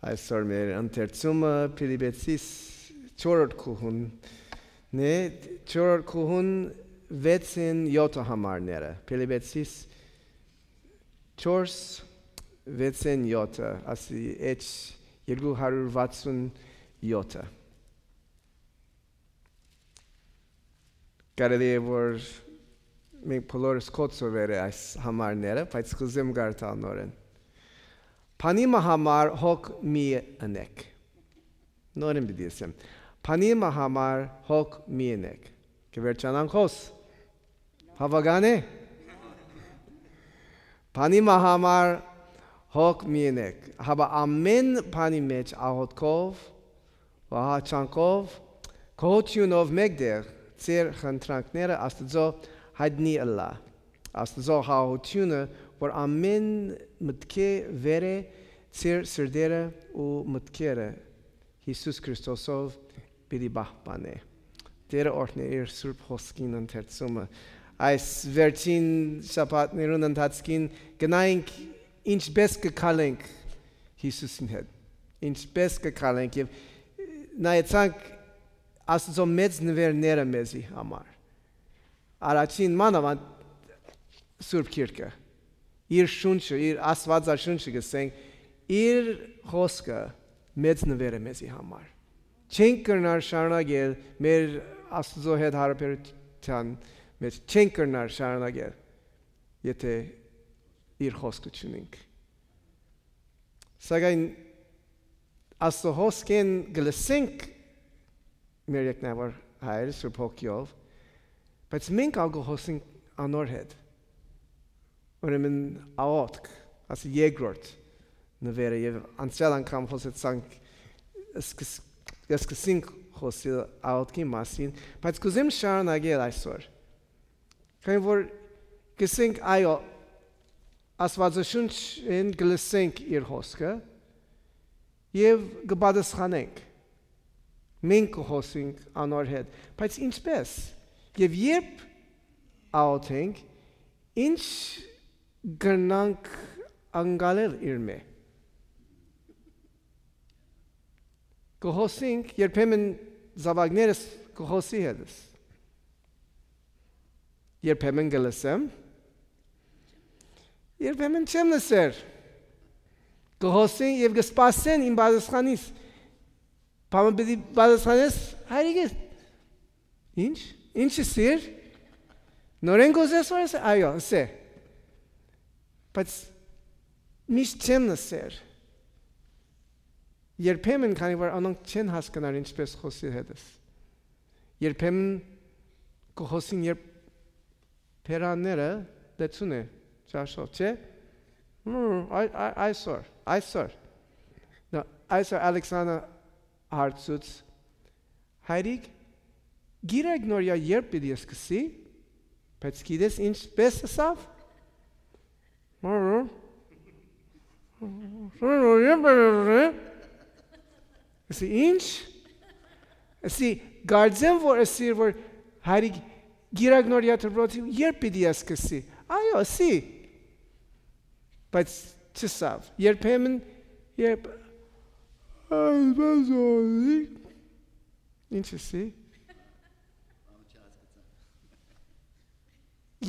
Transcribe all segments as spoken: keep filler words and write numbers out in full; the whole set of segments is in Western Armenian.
Այսօր մեր ընթերցումը Փիլիպեցիս չորրորդ գլխուն է, չորրորդ գլխուն վեցին յոթը համարները։ Փիլիպեցիս չորս վեցին յոթը, ասի էջ երկու հարյուր վաթսուն յոթը։ Կարելի է որ մենք բոլորս կոչուեր է այս համարները, բայց կուզեմ կարդալ նորեն։ Բանի մը համար հոգ մի ընեք։ Նորեն պիտի ասեմ։ Բանի մը համար հոգ մի ընեք։ Կը վերջանանք հոս։ Հաւական է։ Բանի մը համար հոգ մի ընեք։ Հապա ամեն բանի մեջ աղոթքով, ահաչանքով, գոհութիւնով մէկտեղ ձեր խնդրանքները Աստուծոյ յայտնի ըլլայ։ Աստուծոյ խաղաղութիւնը, որ ամեն մտքէ վեր է, ձեր սրտերը ու մտքերը Յիսուս Քրիստոսով պիտի պահպանէ։ Տէրը օրհնէ իր սուրբ հոսքին ընթերցումը։ Այս վերջին շաբաթներուն ընթացքին գնայինք ինչպէս կը քալենք Յիսուսին հետ։ Ինչպէս կը քալենք եւ նայեցանք Աստուծոյ մեծ նուէրները մեզի համար։ Առաջին մանաւանդ Սուրբ Գիրքը, իր շունչը, իր Աստուածաշունչը կ'ըսենք, իր խօսքը մեծ նուէր է մեզի համար։ Չենք կրնար շարունակել մեր Աստուծոյ հետ յարաբերութեան մեջ, չենք կրնար շարունակել, եթէ իր խօսքը չունենք։ Սակայն Աստուծոյ հոսքէն կը լսենք մեր երկնաւոր Հայրը Սուրբ Հոգիով, բայց մենք ալ կը խօսենք անոր հետ։ Ուրեմն աղոթք, ասի երկրորդ նուէրը, եւ անցեալ անգամ խօսեցանք, սկս-, սկսենք խօսիլ աղոթքի մասին, բայց կ'ուզեմ շարունակել այսօր։ Քանի որ կ'ըսենք, այո, Աստուածաշունչէն կը լսենք իր խօսքը եւ կը պատասխանենք։ Մենք կը խօսենք անոր հետ, բայց ինչպէս։ Եւ երբ աղոթենք, ինչ կրնանք անկալել իրմէ։ Կը խօսենք, երբեմն զաւակներս կը խօսի հետս։ Երբեմն կը լսեմ, երբեմն չեմ լսեր։ Կը խօսեն եւ կը սպասեն իմ պատասխանիս։ Բանը պիտի պատասխանես, հայրիկես, ինչ, ինչ ըսիր, նորեն կ'ուզես որ ըսե, այո, ըսե, բայց միշտ չեմ լսեր։ Երբեմն, քանի որ անոնք չեն հասկնար ինչպէս խօսի հետս։ Երբեմն կը խօսին, երբ բերանները լեցուն է, ճաշով, չէ՞։ Հմ, այ-, այ-, այսօր, այսօր։ Նա, այսօր Ալեքսանա հարցուց, հայրիկ, գիրակ նորյա երբ պիտի սկսի, բայց գիտես ինչպէս ըսաւ։ Ըսի, ինչ։ Ըսի, կարծեմ որ ըսիր որ հայրիկ գիրակ նորյա դպրոցի երբ պիտի սկսի։ Այո, ըսի։ Բայց չսավ, երբեմն, երբ, այսպես օրի, ինչ ըսի։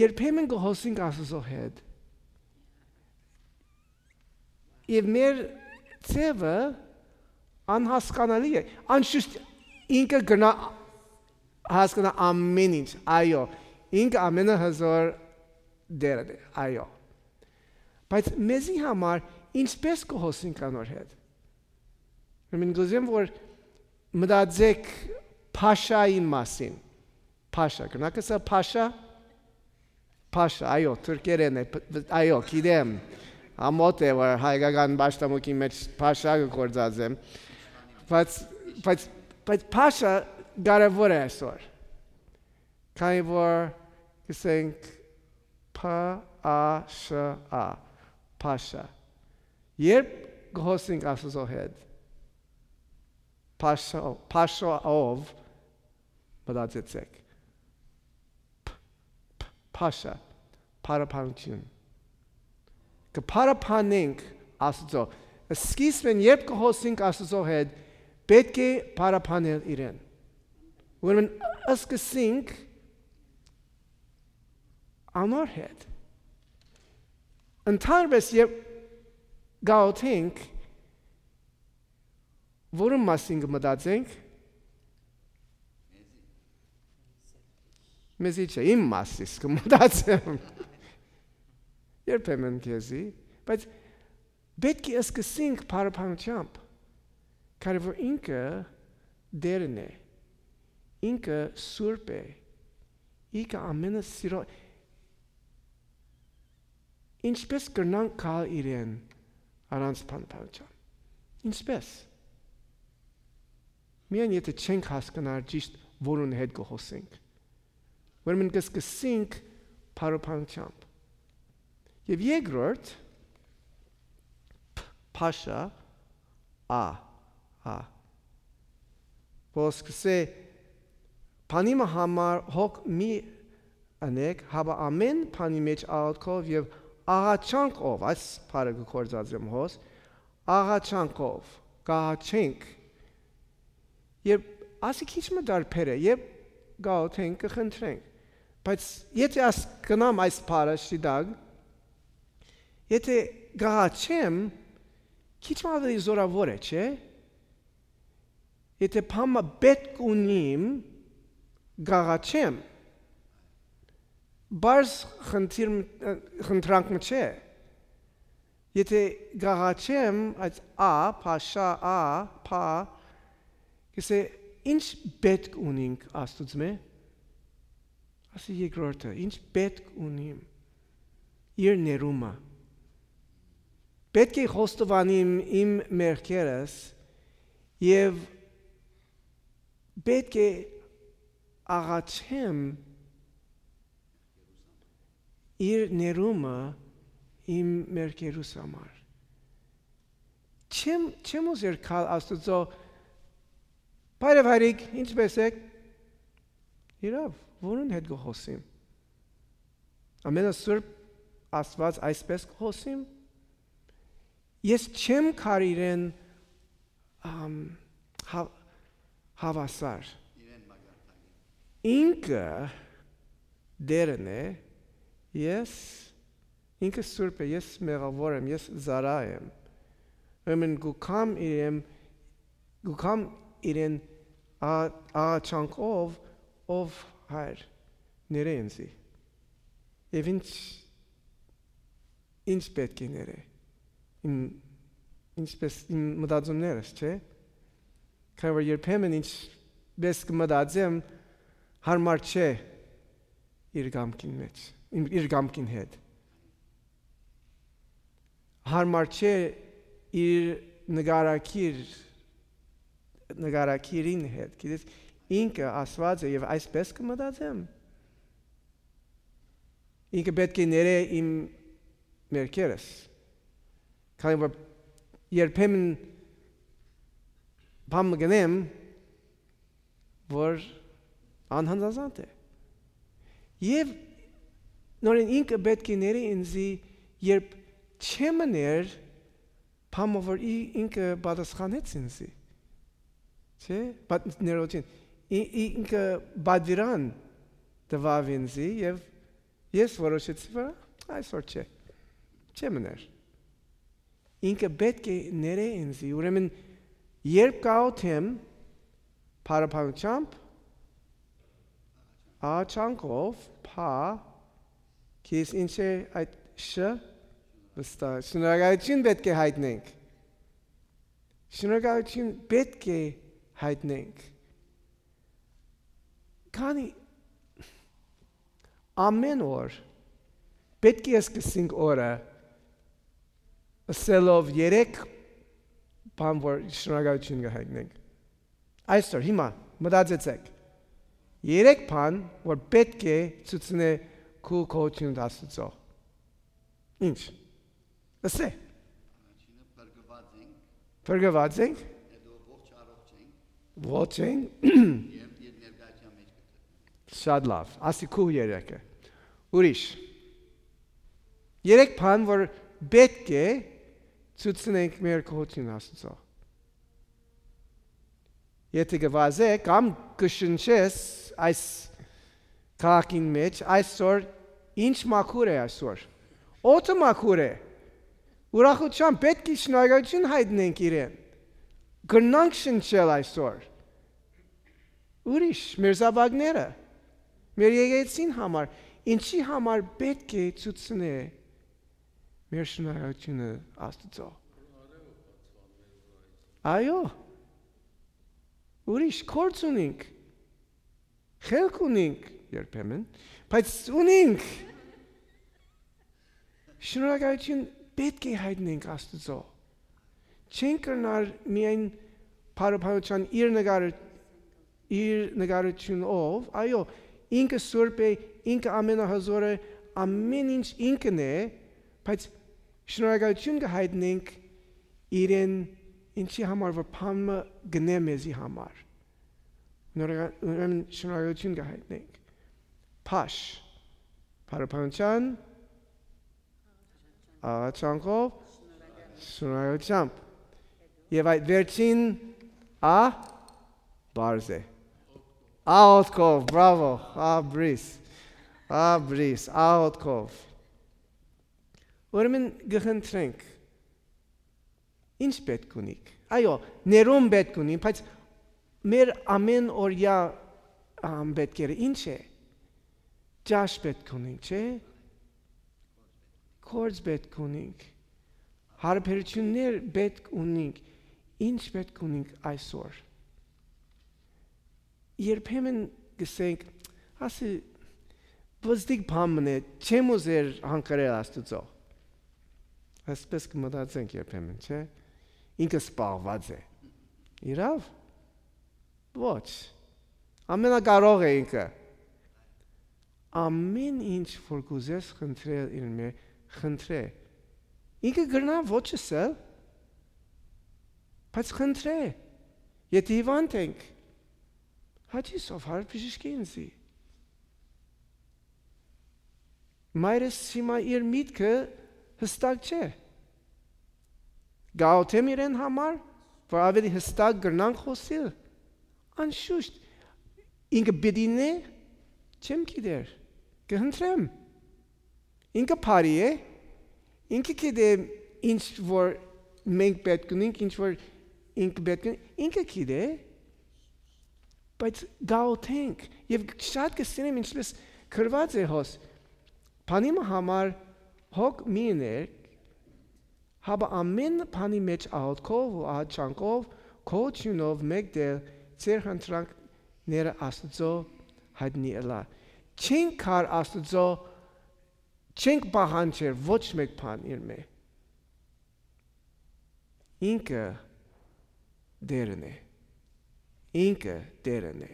Երբեմն կը խօսենք Աստուծոյ հետ, եւ մեր ձեւը անհասկանալի է։ Անշուշտ ինքը կրնայ հասկնայ ամեն ինչ, այո, ինքը ամենահզոր Տէրը է, այո։ Բայց մեզի համար ինչպէս կը խօսենք անոր հետ։ Ուրեմն կ'ուզեմ որ մտածեք Փաշային մասին։ Փաշա, կրնաք ըսել Փաշա։ Փաշա, այո, թուրքերէն է, п-, այո, գիտեմ։ Ամոթ է որ հայկական պաշտամունքի մեջ Փաշա կը գործածեմ, բայց, բայց, բայց Փաշա կարեւոր է այսօր, քանի որ կ'ըսենք Փ A Ş A, Փաշա։ Երբ կ'խօսենք Աստուծոյ հետ, Փաշա, Փաշաով, մտածեցեք։ Փ-, փ-, Փաշա, փառաբանութիւն։ Կը փառաբանենք Աստուծոյ, Սկիզբէն երբ կը խօսինք Աստուծոյ հետ, պէտք է փառաբանել իրեն։ Ուրեմն, սկսենք անոր հետ։ Ընդհանրապես, երբ գաղութենք, որուն մասին կը մտածենք, մեզի չէ, իմ մասիս կը մտածեմ։ Երբեմն քեզի, բայց պէտք է սկսենք փառաբանությամբ, քանի որ ինքը Տէրն է, ինքը Սուրբ է, ինքը ամենը սիրո-, ինչպե՞ս կրնանք գալ իրեն առանց փառաբանության։ Ինչպե՞ս։ Միայն եթե չենք հասկնար ճիշտ որուն հետ կը խօսենք։ Ուրեմն կը սկսենք փառաբանությամբ։ Եւ երկրորդ, փ-, փաշա, ա, ա, որ սկսե, բանի մը համար հոգ մի ընեք, հապա ամեն բանի մէջ աղաչքով եւ աղաչանքով, այս բառը կը գործածեմ հոս, աղաչանքով, կ'աղաչենք։ Երբ ասի քիչ մը տարբեր է, երբ գաղութենք, կը խնդրենք։ Բայց եթե աս կնամ այս բառը շիտակ, եթե կ'աղաչեմ, քիչ մը ավելի զորավոր է, չէ՞։ Եթե բան մը պէտք ունիմ, կ'աղաչեմ, պարզ խնդիր, խնդրանք մը չէ։ Եթե կ'աղաչեմ, այդ ա, փաշա, ա, փա, կսե, ինչ պէտք ունինք Աստուծմէ, ասի երկրորդը, ինչ պէտք ունիմ, իր ներումը։ Պէտք է խոստովանիմ իմ մեղքերս եւ պէտք է աղաչեմ իր ներումը իմ մեղքերուս համար։ Չեմ, չեմ ուզեր գալ Աստուծոյ, «Բարև, հայրիկ, ինչպէս էք»։ Իրաւ, որուն հետ կը խօսիմ։ Ամենասուրբ Աստուած այսպէս կը խօսիմ։ Ես չեմ գար իրեն, ամ, հա-, հաւասար։ Իրեն մագարտակի։ Ինքը Տէրն է, ես, ինքը Սուրբ է, ես մեղաւոր եմ, ես զարա եմ։ Ուրեմն կու կամ իրեն, կու կամ իրեն ա-, աղաչանքով, ով հայր, ներե ինձի։ Եւ ինչ, ինչ պէտք է ներե։ Իմ, ինչպես իմ մտածումներս, չէ՞։ Քանի որ երբեմն ինչպես կը մտածեմ, յարմար չէ իր կամքին մէջ, իմ, իր կամքին հետ։ Յարմար չէ իր նկարագիր, նկարագիրին հետ, գիտես, ինքը Աստուած է եւ այսպես կը մտածեմ։ Ինքը պէտք է ներէ իմ մերկերս։ Քանի որ երբեմն բան մը կ'ընեմ, որ անհանձազանդ է։ Եւ նորեն ինքը պէտք է ներէ ինձի, երբ չեմ ներ, բան մը որ ի-, ինքը պատասխանեց ինձի։ Չէ՞, բա-, ներողություն, ի-, ի-, ինքը պատվիրան տուաւ ինձի եւ ես որոշեցի, որ այսօր չէ, չեմ ներ։ Ինքը պէտք է ներէ ինձի, ուրեմն երբ կաղոթեմ փառաբանությամբ, աղաչանքով, փա, քեզ ինչ է այդ շ-, վստահ, շնորհակալություն պէտք է հայտնենք։ Շնորհակալություն պէտք է հայտնենք։ Քանի ամեն օր պէտք է սկսենք օրը ըսելով երեք բան, որ շնորհակալություն կը հայտնենք։ Այսօր, հիմա, մտածեցեք։ Երեք բան, որ պէտք է ցուցնէ քու գոհութիւնդ Աստուծոյ։ Ինչ։ Ըսէ։ Առաջինը, փրկված ենք, փրկված ենք, հետո ողջ առողջ ենք, ողջ ենք, եւ իր ներկայության մեջ կգտնենք։ Շատ լավ, ասի քու երեքը։ Ուրիշ։ Երեք բան, որ պէտք է Ցուցնենք մեր գոհութիւնը Աստուծոյ։ Եթէ կը վազէ կամ կը շնչես այս քաղաքին մէջ, այսօր ինչ մաքուր է այսօր։ Օդը մաքուր է։ Ուրախութեան պէտք է շնորհակալութիւն յայտնենք իրեն։ Կրնանք շնչել այսօր։ Ուրիշ, մեր զաւակները, մեր եկեղեցին համար, ինչի համար պէտք է ցուցնե մեր շնորհակալութիւնը Աստուծոյ։ Այո, ուրիշ, գործ ունինք, խելք ունինք երբեմն, բայց ունինք։ Շնորհակալութիւն պէտք է յայտնենք Աստուծոյ։ Չենք կրնար միայն փառաբանութեան իր նկարը, իր նկարութիւնով, այո, ինքը սուրբ է, ինքը ամենահզոր է, ամեն ինչ ինքն է, բայց շնորհակալութիւն կը յայտնենք իրեն, ինչի համար որ բան մը գնէ մեզի համար։ Նորագա-, ուրեմն շնորհակալութիւն կը յայտնենք։ Փաշ, փառաբանութեան, աղաչանքով, շնորհակալությամբ։ Եւ այդ վերջին, ա, բարձ է։ Աղոթքով, բրավո, ա, բրիս, ա, բրիս, աղոթքով։ Ուրեմն կը խնդրենք, ինչ պէտք ունիք։ Այո, ներում պէտք ունին, բայց մեր ամեն օրյա, ամ, պէտքերը ինչ է։ Ճաշ պէտք ունինք, չէ՞։ Գործ պէտք ունինք։ Հարաբերություններ պէտք ունինք։ Ինչ պէտք ունինք այսօր։ Երբեմն կսենք, ասի, բզդիկ բան մնե, չեմ ուզեր հանգրել Աստուծոյ։ Այսպես կմտածենք երբեմն, չէ՞։ Ինքը սպաղված է։ Իրաւ։ Ոչ։ Ամենակարող է ինքը։ Ամեն ինչ որ կուզես խնդրել իրեն մէ, խնդրէ։ Ինքը կրնայ ոչ ըսել, բայց խնդրէ։ Եթէ հիվանդ ենք, Հաճի Սովհար բժիշկի ինձի։ Մայրս հիմա իր միտքը հստակ չէ։ Կաղոթեմ իրեն համար, որ ավելի հստակ կրնանք խօսիլ։ Անշուշտ, ինքը պիտի նե, չեմ գիտեր, կը հնդրեմ։ Ինքը բարի է, ինքը գիտէ ինչ որ մենք պէտք ունենք, ինչ որ ինքը պէտք ունի, ինքը գիտէ, բայց կաղոթենք, եւ շատ կը սիրեմ, ինչպես գրուած է հոս, բանի մը համար հոգ մի ըներ, հապա ամեն բանի մէջ աղոթքով ու աղաչանքով, գոհութիւնով մէկտեղ ձեր խնդրանքները Աստուծոյ յայտնի ըլլայ։ Չենք գար Աստուծոյ, չենք պահանջեր ոչ մէկ բան իրմէ։ Ինքը Տէրն է։ Ինքը Տէրն է։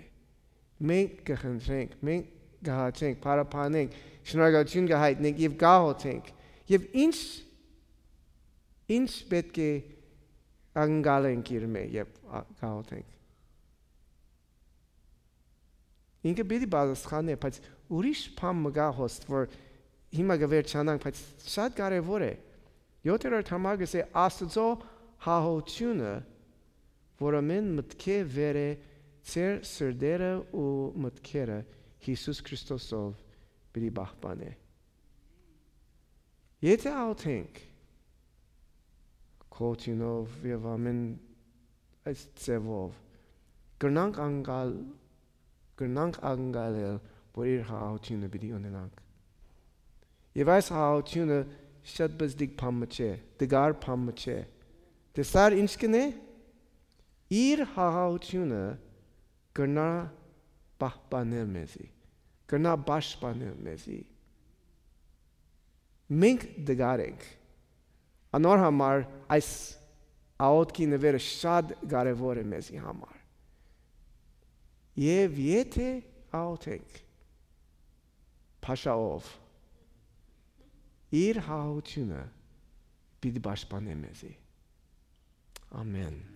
Մենք կը խնդրենք, մենք կը հաչենք, փառաբանենք, շնորհակալութիւն կը յայտնենք եւ կաղոթենք։ Եւ ինչ, ինչ պէտք է ակնկալենք իրմէ եւ ա-, կաղոթենք։ Ինքը պիտի պատասխանէ, բայց ուրիշ բան մը կայ հոս, որ հիմա կը վերջանանք, բայց շատ կարեւոր է։ Յոթերորդ համար կ'ըսէ Աստուծոյ հաղորդութիւնը, որ ամեն մտքէ վեր է, ձեր սրտերը ու մտքերը Յիսուս Քրիստոսով պիտի պահպանէ։ Եթէ աղոթենք գոհութիւնով եւ ամեն այս ձեւով, կրնանք անկալ-, կրնանք անկալել, որ իր հաղորդութիւնը պիտի ունենանք։ Եւ այս հաղորդութիւնը շատ բզդիկ բան մը չէ, դգար բան մը չէ։ Տեսա՞ր ինչ կ'ընէ։ Իր հաղորդութիւնը կրնայ պահպանել մեզի, կրնայ պաշտպանել մեզի։ Մենք դգար ենք։ Անոր համար այս աղոթքի նվերը շատ կարեւոր է մեզի համար։ Եւ եթէ աղոթենք փաշայով, իր հաղորդութիւնը պիտի պաշտպանէ մեզի։ Ամեն։